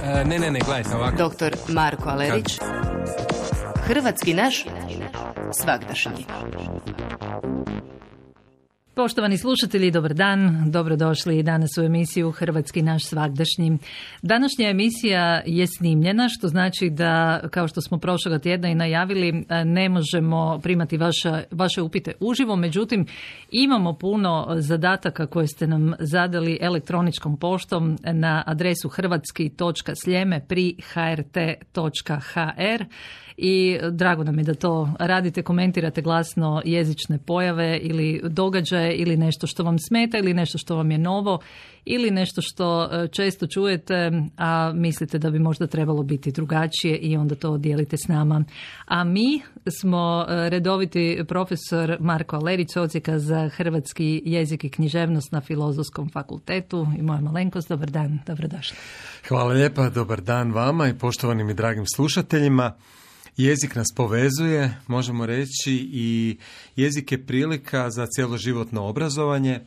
Ne, gledajte ovako. Doktor Marko Alerić. Hrvatski naš svagdašnji. Poštovani slušatelji, dobar dan, dobrodošli danas u emisiju Hrvatski naš svagdašnji. Današnja emisija je snimljena, što znači da, kao što smo prošloga tjedna i najavili, ne možemo primati vaše upite uživo, međutim imamo puno zadataka koje ste nam zadali elektroničkom poštom na adresu hrvatski.sljeme@hrt.hr. I drago nam je da to radite, komentirate glasno jezične pojave ili događaje ili nešto što vam smeta ili nešto što vam je novo ili nešto što često čujete, a mislite da bi možda trebalo biti drugačije i onda to dijelite s nama. A mi smo redoviti profesor Marko Alerić, odsjeka za hrvatski jezik i književnost na Filozofskom fakultetu i moja malenkost. Dobar dan, dobrodošli. Hvala lijepa, dobar dan vama i poštovanim i dragim slušateljima. Jezik nas povezuje, možemo reći, i jezik je prilika za cjeloživotno obrazovanje,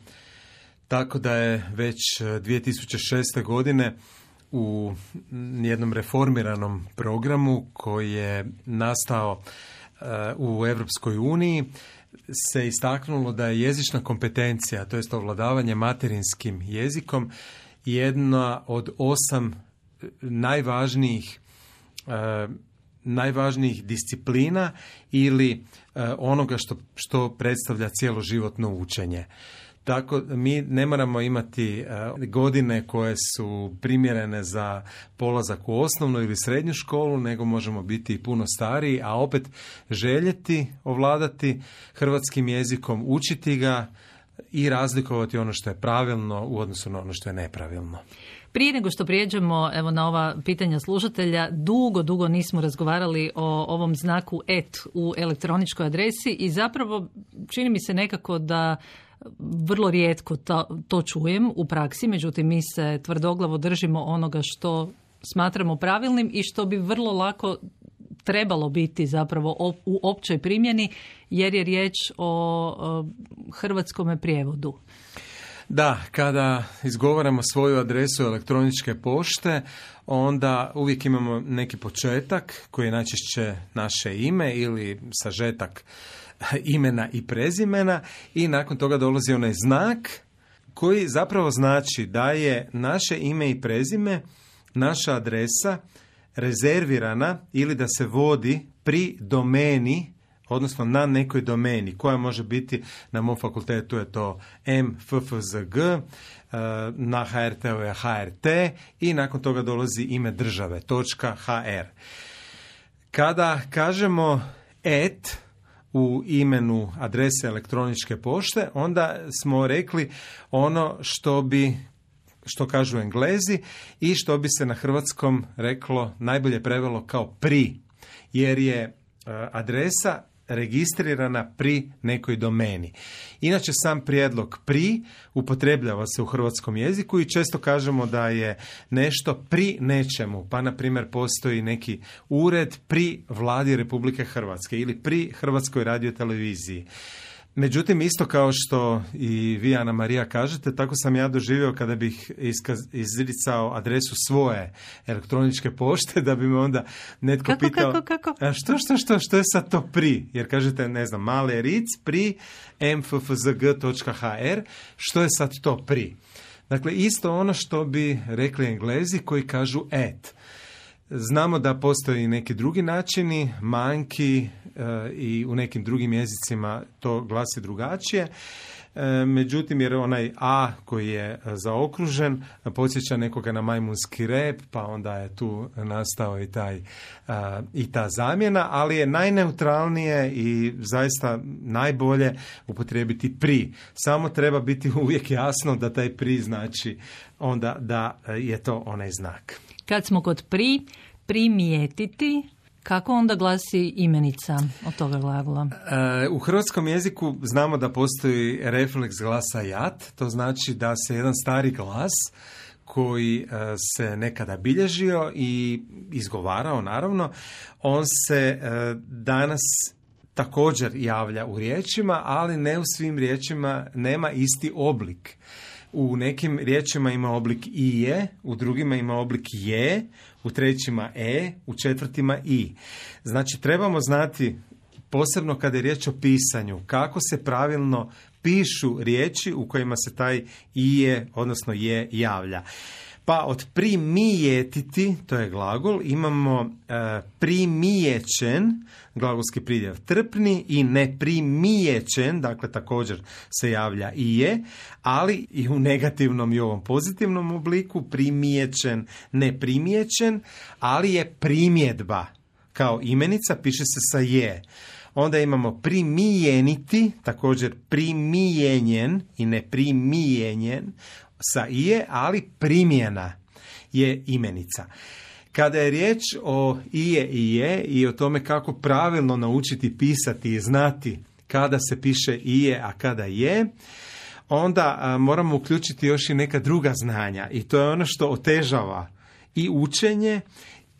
tako da je već 2006. godine u jednom reformiranom programu koji je nastao u Europskoj uniji se istaknulo da je jezična kompetencija, to jest ovladavanje materinskim jezikom, jedna od 8 najvažnijih disciplina ili onoga što predstavlja cjeloživotno učenje. Tako mi ne moramo imati godine koje su primjerene za polazak u osnovnu ili srednju školu, nego možemo biti i puno stariji, a opet željeti ovladati hrvatskim jezikom, učiti ga i razlikovati ono što je pravilno u odnosu na ono što je nepravilno. Prije nego što prijeđemo na ova pitanja slušatelja, dugo nismo razgovarali o ovom znaku et u elektroničkoj adresi i zapravo čini mi se nekako da vrlo rijetko to čujem u praksi, međutim mi se tvrdoglavo držimo onoga što smatramo pravilnim i što bi vrlo lako trebalo biti zapravo u općoj primjeni, jer je riječ o hrvatskome prijevodu. Da, kada izgovaramo svoju adresu elektroničke pošte, onda uvijek imamo neki početak koji je najčešće naše ime ili sažetak imena i prezimena i nakon toga dolazi onaj znak koji zapravo znači da je naše ime i prezime, naša adresa rezervirana ili da se vodi pri domeni, odnosno na nekoj domeni koja može biti, na mom fakultetu je to MFFZG, na HRT-u je HRT i nakon toga dolazi ime države, .hr. Kada kažemo et u imenu adrese elektroničke pošte, onda smo rekli ono što kažu Englezi i što bi se na hrvatskom reklo, najbolje prevelo kao pri, jer je adresa registrirana pri nekoj domeni. Inače, sam prijedlog pri upotrebljava se u hrvatskom jeziku i često kažemo da je nešto pri nečemu, pa na primjer postoji neki ured pri Vladi Republike Hrvatske ili pri Hrvatskoj radioteleviziji. Međutim, isto kao što i vi, Ana Marija, kažete, tako sam ja doživio kada bih izricao adresu svoje elektroničke pošte, da bi me onda netko pitao kako? Što je sad to pri? Jer kažete, ne znam, male ric pri mffzg.hr, što je sad to pri? Dakle, isto ono što bi rekli Englezi koji kažu et. Znamo da postoji i neki drugi načini, manki i u nekim drugim jezicima to glasi drugačije. Međutim, jer onaj a koji je zaokružen podsjeća nekoga na majmunski rep, pa onda je tu nastao i ta zamjena, ali je najneutralnije i zaista najbolje upotrijebiti pri. Samo treba biti uvijek jasno da taj pri znači onda da je to onaj znak. Kad smo kod primijetiti, kako onda glasi imenica od toga glagola? U hrvatskom jeziku znamo da postoji refleks glasa jat, to znači da se jedan stari glas koji se nekada bilježio i izgovarao, naravno, on se danas također javlja u riječima, ali ne u svim riječima, nema isti oblik. U nekim riječima ima oblik ije, u drugima ima oblik je, u trećima u četvrtima i. Znači, trebamo znati, posebno kada je riječ o pisanju, kako se pravilno pišu riječi u kojima se taj ije, odnosno je, javlja. Pa od primijetiti, to je glagol, imamo primijećen, glagolski pridjev trpni, i neprimijećen, dakle također se javlja i je, ali i u negativnom i ovom pozitivnom obliku, primijećen, neprimijećen, ali je primjedba. Kao imenica piše se sa je. Onda imamo primijeniti, također primijenjen i neprimijenjen, sa ije, ali primjena je imenica. Kada je riječ o ije i je i o tome kako pravilno naučiti pisati i znati kada se piše ije, a kada je, onda moramo uključiti još i neka druga znanja, i to je ono što otežava i učenje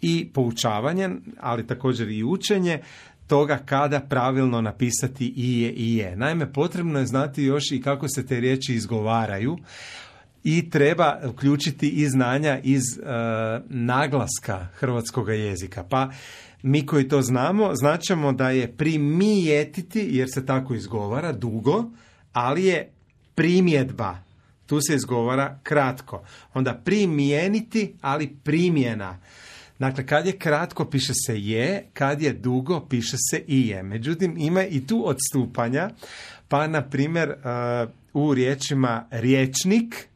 i poučavanje, ali također i učenje toga kada pravilno napisati ije i je. Naime, potrebno je znati još i kako se te riječi izgovaraju, i treba uključiti i znanja iz naglaska hrvatskog jezika. Pa mi koji to znamo, značimo da je primijetiti, jer se tako izgovara, dugo, ali je primjedba. Tu se izgovara kratko. Onda primijeniti, ali primjena. Dakle, kad je kratko piše se je, kad je dugo piše se i je. Međutim, ima i tu odstupanja, pa na primjer u riječima riječnik,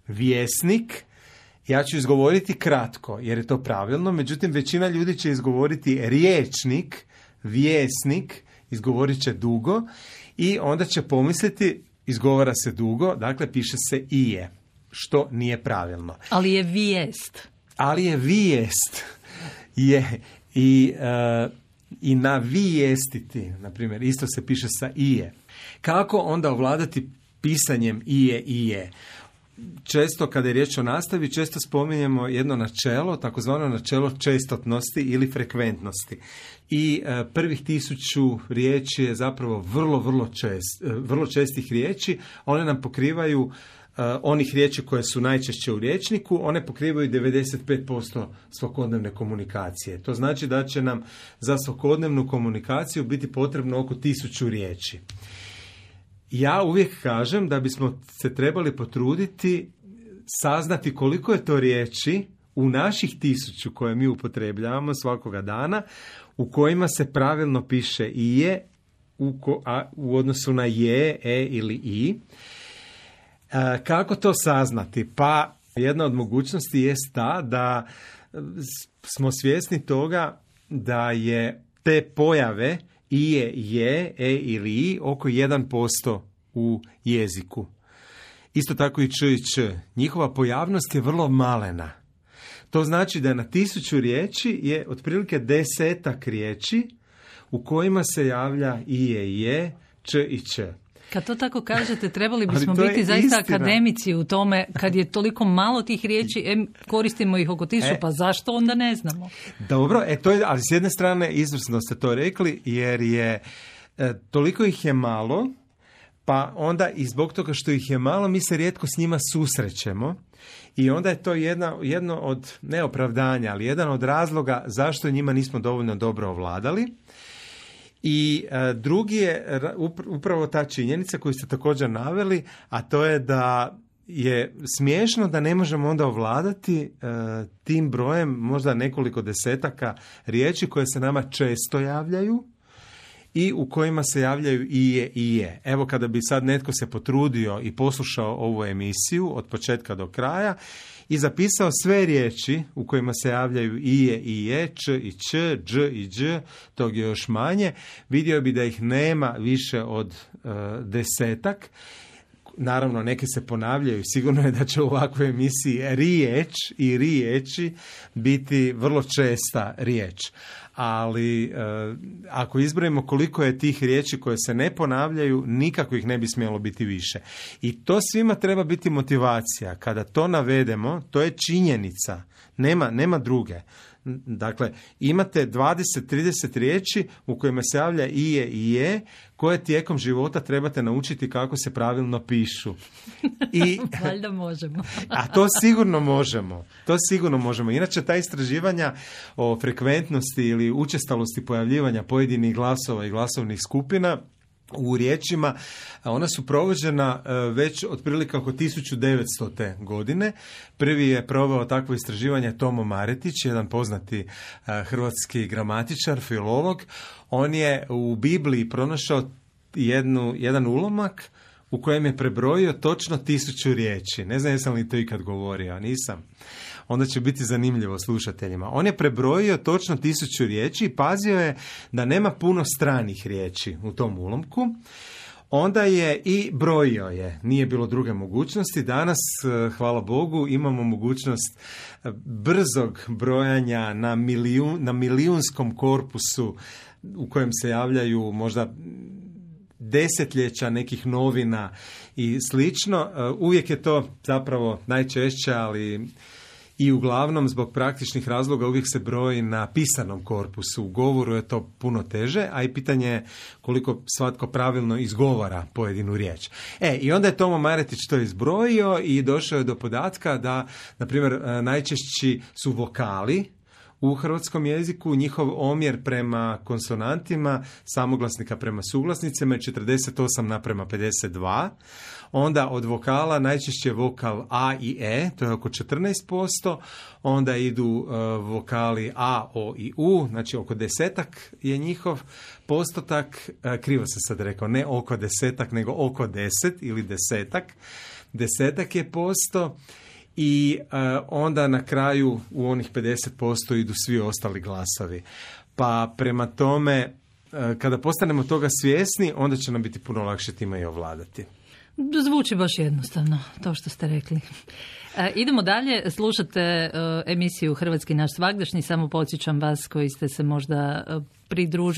vjesnik, ja ću izgovoriti kratko jer je to pravilno, međutim većina ljudi će izgovoriti riječnik, vjesnik, izgovorit će dugo i onda će pomisliti izgovara se dugo, dakle piše se i je, što nije pravilno. Ali je vijest. Ali je vijest. I navijestiti, na primjer, isto se piše sa ije. Kako onda ovladati pisanjem ije? Često kada je riječ o nastavi, često spominjemo jedno načelo, takozvano načelo čestotnosti ili frekventnosti. I prvih 1000 riječi je zapravo vrlo čestih riječi. One nam pokrivaju onih riječi koje su najčešće u rječniku, one pokrivaju 95% svakodnevne komunikacije. To znači da će nam za svakodnevnu komunikaciju biti potrebno oko 1000 riječi. Ja uvijek kažem da bismo se trebali potruditi saznati koliko je to riječi u naših 1000 koje mi upotrebljavamo svakoga dana, u kojima se pravilno piše i je u odnosu na je, ili i. Kako to saznati? Pa jedna od mogućnosti jest ta da smo svjesni toga da je te pojave i je, ili i oko 1% u jeziku. Isto tako i č i č. Njihova pojavnost je vrlo malena. To znači da na 1000 riječi je otprilike 10 riječi u kojima se javlja i je, č i č. Kad to tako kažete, trebali bismo biti zaista akademici u tome, kad je toliko malo tih riječi, koristimo ih oko 1000, pa zašto onda ne znamo? Dobro, to je, ali s jedne strane izvrsno ste to rekli, jer je toliko ih je malo, pa onda i zbog toga što ih je malo, mi se rijetko s njima susrećemo. I onda je to jedno od neopravdanja, ali jedan od razloga zašto njima nismo dovoljno dobro ovladali. I drugi je upravo ta činjenica koju ste također naveli, a to je da je smiješno da ne možemo onda ovladati tim brojem možda nekoliko desetaka riječi koje se nama često javljaju i u kojima se javljaju i je. Evo, kada bi sad netko se potrudio i poslušao ovu emisiju od početka do kraja i zapisao sve riječi u kojima se javljaju i je, č i č, dž i dž, tog je još manje, vidio bi da ih nema više od 10. Naravno, neke se ponavljaju. Sigurno je da će u ovakvoj emisiji riječ i riječi biti vrlo česta riječ. Ali ako izbrojimo koliko je tih riječi koje se ne ponavljaju, nikako ih ne bi smjelo biti više. I to svima treba biti motivacija. Kada to navedemo, to je činjenica. Nema druge. Dakle, imate 20-30 riječi u kojima se javlja i je, koje tijekom života trebate naučiti kako se pravilno pišu. Valjda možemo. A to sigurno možemo. Inače, ta istraživanja o frekventnosti ili učestalosti pojavljivanja pojedinih glasova i glasovnih skupina u riječima, ona su provođena već otprilike oko 1900. godine. Prvi je proveo takvo istraživanje Tomo Maretić, jedan poznati hrvatski gramatičar, filolog. On je u Bibliji pronašao jedan ulomak u kojem je prebrojio točno 1000 riječi. Ne znam jesam li to ikad govorio, nisam. Onda će biti zanimljivo slušateljima. On je prebrojio točno 1000 riječi i pazio je da nema puno stranih riječi u tom ulomku. Onda je i brojio je. Nije bilo druge mogućnosti. Danas, hvala Bogu, imamo mogućnost brzog brojanja na milijunskom korpusu u kojem se javljaju možda desetljeća nekih novina i slično. Uvijek je to zapravo najčešće, ali i uglavnom zbog praktičnih razloga uvijek se broji na pisanom korpusu. U govoru je to puno teže, a i pitanje je koliko svatko pravilno izgovara pojedinu riječ. I onda je Tomo Maretić to izbrojio i došao je do podatka da, na primjer, najčešći su vokali u hrvatskom jeziku, njihov omjer prema konsonantima, samoglasnika prema suglasnicima je 48:52. Onda od vokala najčešće je vokal A i E, to je oko 14%. Onda idu vokali A, O i U, znači oko 10 je njihov postotak. Krivo sam sad rekao, ne oko 10, nego oko 10 ili 10. 10 je posto. I onda na kraju u onih 50% idu svi ostali glasovi. Pa prema tome, kada postanemo toga svjesni, onda će nam biti puno lakše time i ovladati. Zvuči baš jednostavno, to što ste rekli. Idemo dalje, slušate emisiju Hrvatski naš svagdašnji, samo podsjećam vas koji ste se možda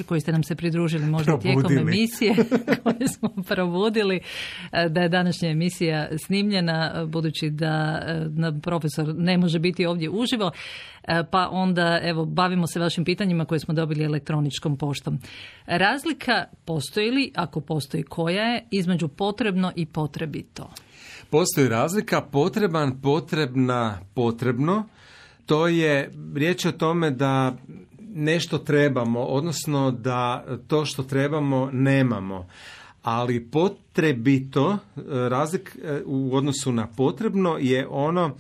koji ste nam se pridružili možda tijekom emisije koje smo probudili, da je današnja emisija snimljena, budući da profesor ne može biti ovdje uživo, pa onda evo bavimo se vašim pitanjima koje smo dobili elektroničkom poštom. Razlika postoji li, ako postoji koja je, između potrebno i potrebito? Postoji razlika, potreban, potrebna, potrebno. To je riječ o tome da nešto trebamo, odnosno da to što trebamo nemamo. Ali potrebito, razlika u odnosu na potrebno je ono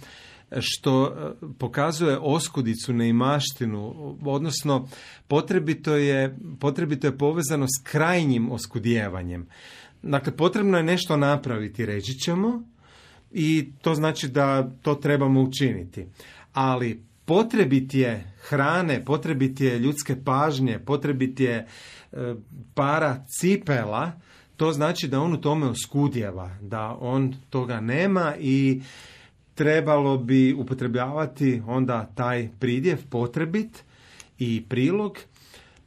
što pokazuje oskudicu, neimaštinu, odnosno potrebito je povezano s krajnjim oskudjevanjem. Dakle, potrebno je nešto napraviti, reći ćemo, i to znači da to trebamo učiniti. Ali potrebit je hrane, potrebit je ljudske pažnje, potrebit je para cipela, to znači da on u tome oskudjeva, da on toga nema i trebalo bi upotrebljavati onda taj pridjev potrebit i prilog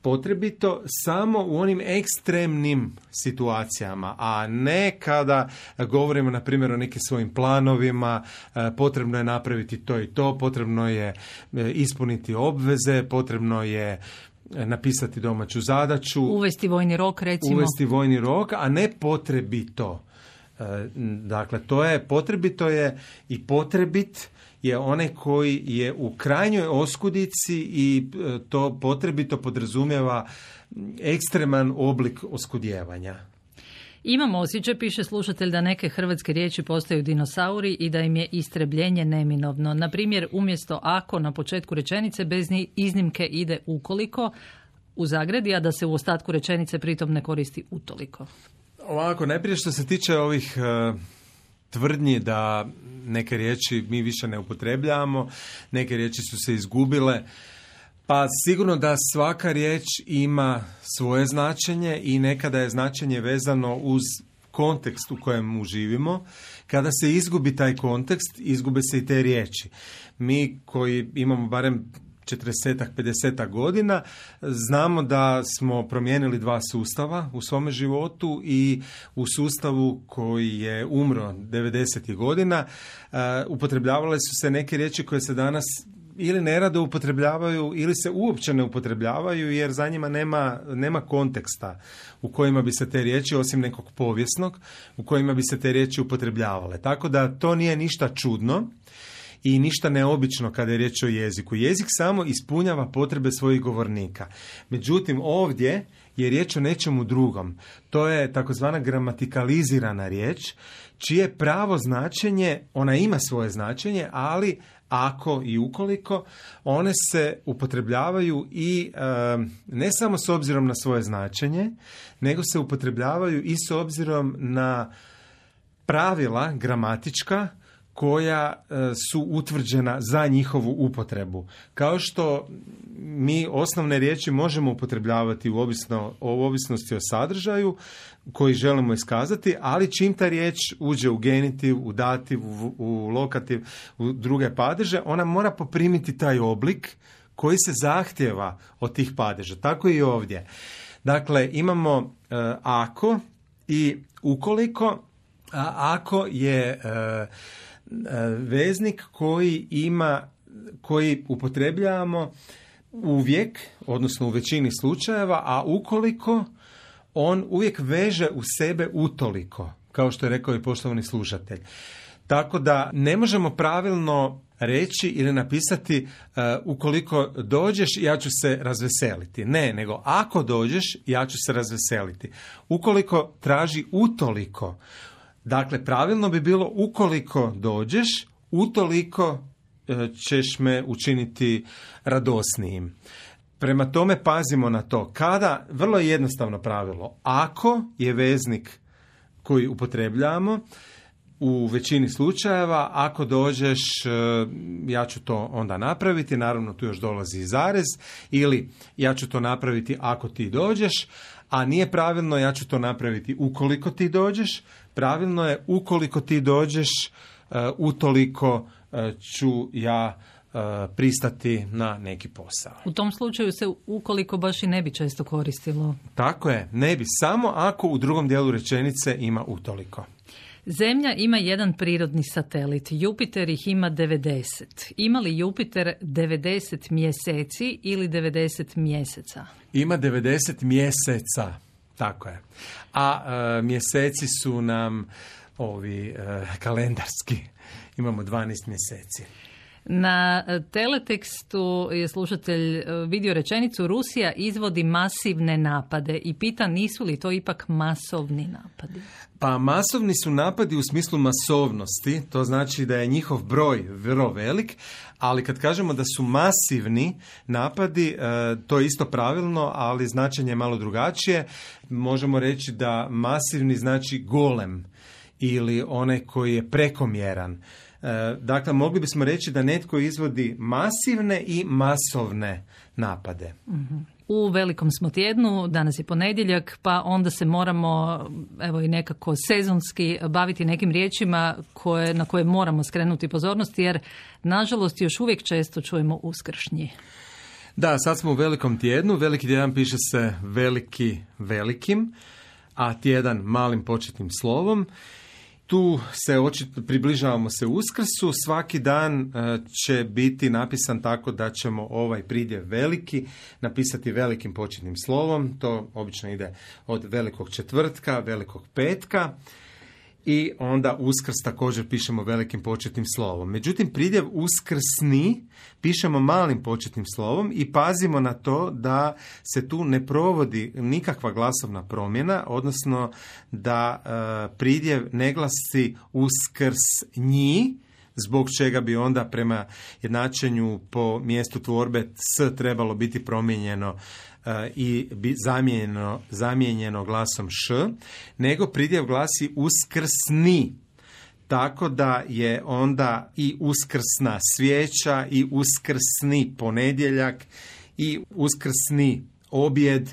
potrebito samo u onim ekstremnim situacijama, a ne kada govorimo na primjer o nekim svojim planovima, potrebno je napraviti to i to, potrebno je ispuniti obveze, potrebno je napisati domaću zadaću. Uvesti vojni rok, recimo. Uvesti vojni rok, a ne potrebito. Dakle, to je potrebito je i potrebit je onaj koji je u krajnjoj oskudici i to potrebito podrazumijeva ekstreman oblik oskudjevanja. Imamo osjećaj, piše slušatelj, da neke hrvatske riječi postaju dinosauri i da im je istrebljenje neminovno. Na primjer, umjesto ako na početku rečenice bez iznimke ide ukoliko u zagradi, a da se u ostatku rečenice pritom ne koristi utoliko. Ovako, najprije što se tiče ovih tvrdnji da neke riječi mi više ne upotrebljavamo, neke riječi su se izgubile, pa sigurno da svaka riječ ima svoje značenje i nekada je značenje vezano uz kontekst u kojem živimo. Kada se izgubi taj kontekst, izgube se i te riječi. Mi koji imamo barem 40-50 godina, znamo da smo promijenili 2 sustava u svome životu i u sustavu koji je umro 90. godina upotrebljavale su se neke riječi koje se danas ili nerado upotrebljavaju ili se uopće ne upotrebljavaju jer za njima nema konteksta u kojima bi se te riječi, osim nekog povijesnog, u kojima bi se te riječi upotrebljavale. Tako da to nije ništa čudno i ništa neobično kada je riječ o jeziku. Jezik samo ispunjava potrebe svojih govornika. Međutim, ovdje je riječ o nečemu drugom. To je takozvana gramatikalizirana riječ, čije pravo značenje, ona ima svoje značenje, ali ako i ukoliko, one se upotrebljavaju i ne samo s obzirom na svoje značenje, nego se upotrebljavaju i s obzirom na pravila gramatička koja su utvrđena za njihovu upotrebu. Kao što mi osnovne riječi možemo upotrebljavati u ovisnosti o sadržaju koji želimo iskazati, ali čim ta riječ uđe u genitiv, u dativ, u lokativ, u druge padeže, ona mora poprimiti taj oblik koji se zahtjeva od tih padeža. Tako i ovdje. Dakle, imamo ako i ukoliko, a ako je veznik koji upotrebljavamo uvijek, odnosno u većini slučajeva, a ukoliko on uvijek veže u sebe utoliko, kao što je rekao i poštovani slušatelj. Tako da ne možemo pravilno reći ili napisati ukoliko dođeš ja ću se razveseliti. Ne, nego ako dođeš ja ću se razveseliti. Ukoliko traži utoliko. Dakle, pravilno bi bilo ukoliko dođeš, utoliko ćeš me učiniti radosnijim. Prema tome pazimo na to. Kada, vrlo je jednostavno pravilo, ako je veznik koji upotrebljavamo, u većini slučajeva, ako dođeš, ja ću to onda napraviti, naravno tu još dolazi i zarez, ili ja ću to napraviti ako ti dođeš, a nije pravilno ja ću to napraviti ukoliko ti dođeš, pravilno je ukoliko ti dođeš, utoliko ću ja pristati na neki posao. U tom slučaju se ukoliko baš i ne bi često koristilo. Tako je, ne bi, samo ako u drugom dijelu rečenice ima utoliko. Zemlja ima jedan prirodni satelit, Jupiter ih ima 90. Ima li Jupiter 90 mjeseci ili 90 mjeseca? Ima 90 mjeseca, tako je. A mjeseci su nam ovi kalendarski. Imamo 12 mjeseci. Na teletekstu je slušatelj vidio rečenicu Rusija izvodi masivne napade i pita nisu li to ipak masovni napadi? Pa masovni su napadi u smislu masovnosti, to znači da je njihov broj vrlo velik, ali kad kažemo da su masivni napadi, to je isto pravilno, ali značenje je malo drugačije. Možemo reći da masivni znači golem ili onaj koji je prekomjeran. Dakle, mogli bismo reći da netko izvodi masivne i masovne napade. U velikom smo tjednu, danas je ponedjeljak, pa onda se moramo evo i nekako sezonski baviti nekim riječima na koje moramo skrenuti pozornost, jer nažalost još uvijek često čujemo uskršnji. Da, sad smo u velikom tjednu, veliki tjedan piše se veliki velikim, a tjedan malim početnim slovom. Tu se približavamo se Uskrsu, svaki dan će biti napisan tako da ćemo ovaj pridjev veliki napisati velikim početnim slovom, to obično ide od velikog četvrtka, velikog petka i onda Uskrs također pišemo velikim početnim slovom. Međutim, pridjev uskrsni pišemo malim početnim slovom i pazimo na to da se tu ne provodi nikakva glasovna promjena, odnosno da pridjev ne glasi uskrsnji, zbog čega bi onda prema jednačenju po mjestu tvorbe s trebalo biti promijenjeno i zamijenjeno glasom š, nego pridjev glasi uskrsni. Tako da je onda i uskrsna svijeća i uskrsni ponedjeljak i uskrsni objed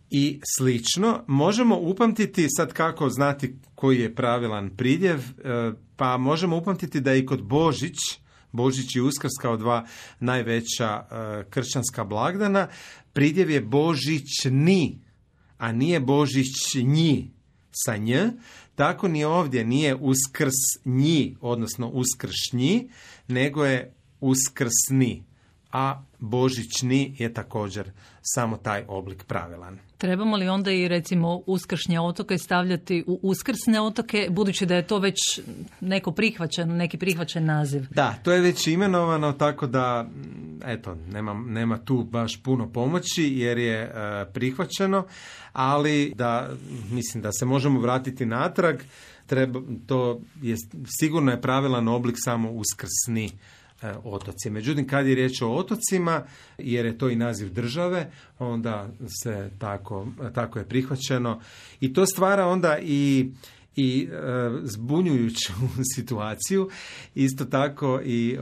i slično. Možemo upamtiti, sad kako znati koji je pravilan pridjev, pa možemo upamtiti da i kod Božić i Uskrs kao dva najveća kršćanska blagdana, pridjev je božićni, a nije božićnji sa nj, tako ni ovdje nije uskrsnji, odnosno uskršnji, nego je uskrsni, a božićni je također samo taj oblik pravilan. Trebamo li onda i recimo uskršnje otoke stavljati u uskrsne otoke, budući da je to već neki prihvaćen naziv? Da, to je već imenovano, tako da eto, nema tu baš puno pomoći jer je prihvaćeno, ali mislim da se možemo vratiti natrag, to je sigurno je pravilan oblik samo uskrsni otoci. Međutim, kad je riječ o otocima, jer je to i naziv države, onda se tako je prihvaćeno. I to stvara onda i zbunjujuću situaciju. Isto tako i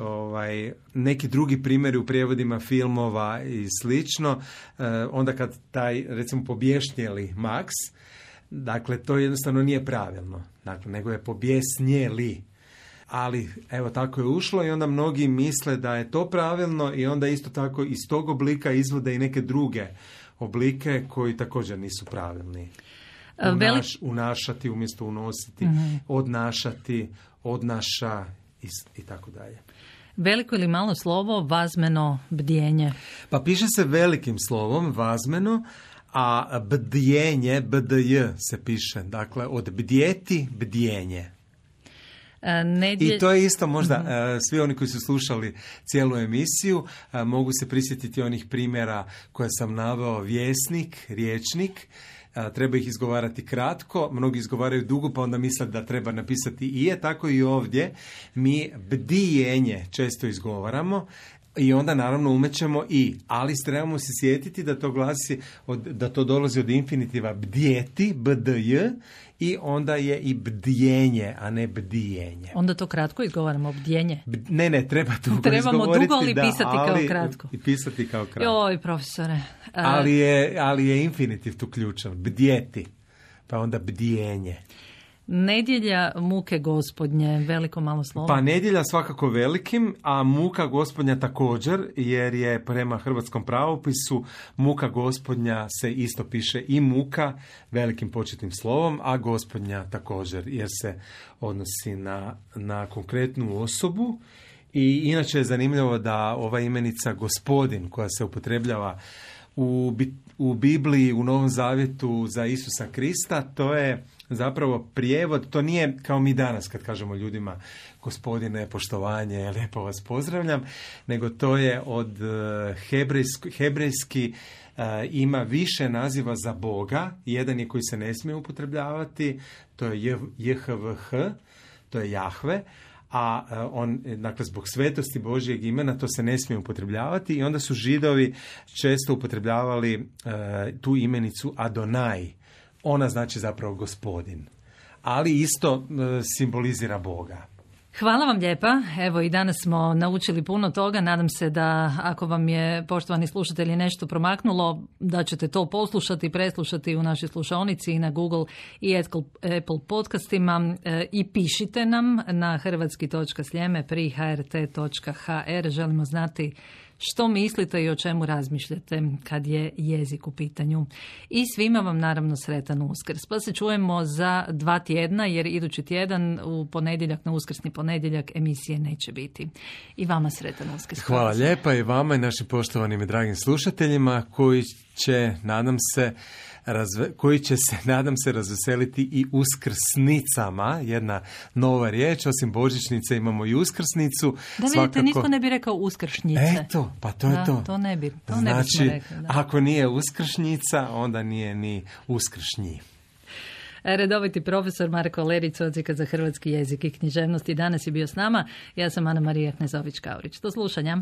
neki drugi primjeri u prijevodima filmova i slično. Onda kad taj, recimo, pobješnjeli Max, dakle, to jednostavno nije pravilno. Dakle, nego je pobjesnjeli. Ali, evo, tako je ušlo i onda mnogi misle da je to pravilno i onda isto tako iz tog oblika izvode i neke druge oblike koji također nisu pravilni. Unašati umjesto unositi, odnašati, odnaša i tako dalje. Veliko ili malo slovo, vazmeno, bdjenje? Pa piše se velikim slovom, vazmeno, a bdjenje, bdj se piše. Dakle, od bdjeti, bdjenje. I to je isto možda, svi oni koji su slušali cijelu emisiju mogu se prisjetiti onih primjera koje sam naveo, vjesnik, riječnik, treba ih izgovarati kratko, mnogi izgovaraju dugo pa onda misle da treba napisati i je, tako i ovdje mi bdijenje često izgovaramo i onda naravno umećemo i, ali trebamo se sjetiti da to glasi, da to dolazi od infinitiva bdjeti, bdj, i onda je i bdjenje, a ne bdijenje. Onda to kratko izgovaramo, bdjenje? Ne, treba dugo Trebamo izgovoriti. Dugo ali pisati kao kratko? I pisati kao kratko. Joj, profesore. Ali je infinitiv tu ključan, bdjeti, pa onda bdjenje. Nedjelja muke gospodnje, veliko malo slovo? Pa nedjelja svakako velikim, a muka gospodnja također, jer je prema hrvatskom pravopisu muka gospodnja se isto piše i muka velikim početnim slovom, a gospodnja također, jer se odnosi na konkretnu osobu. I inače je zanimljivo da ova imenica gospodin koja se upotrebljava u Bibliji, u Novom Zavjetu za Isusa Krista, to je zapravo prijevod, to nije kao mi danas kad kažemo ljudima gospodine, poštovanje, lijepo vas pozdravljam, nego to je od hebrejski ima više naziva za Boga, jedan je koji se ne smije upotrebljavati, to je JHVH, to je Jahve, a on, dakle, zbog svetosti Božjeg imena to se ne smije upotrebljavati i onda su Židovi često upotrebljavali tu imenicu Adonai. Ona znači zapravo gospodin, ali isto simbolizira Boga. Hvala vam lijepa. Evo i danas smo naučili puno toga. Nadam se da ako vam je, poštovani slušatelji, nešto promaknulo, da ćete to poslušati, preslušati u našoj slušaonici i na Google i Apple podcastima i pišite nam na hrvatski.sljeme@hrt.hr. Želimo znati što mislite i o čemu razmišljate kad je jezik u pitanju. I svima vam naravno sretan Uskrs. Pa se čujemo za 2 tjedna jer idući tjedan u ponedjeljak, na uskrsni ponedjeljak, emisije neće biti. I vama sretan Uskrs. Hvala lijepa i vama i našim poštovanim i dragim slušateljima koji će, nadam se, razveseliti i uskrsnicama. Jedna nova riječ, osim božićnice imamo i uskrsnicu. Da vidite, nitko ne bi rekao uskršnjice. Eto, pa to je to. To ne bi Znači, rekli, ako nije uskršnjica, onda nije ni uskršnji. Redoviti profesor Marko Lerić, odsjeka za hrvatski jezik i književnost, i danas je bio s nama. Ja sam Ana Marija Knezović-Kaurić. Do slušanja.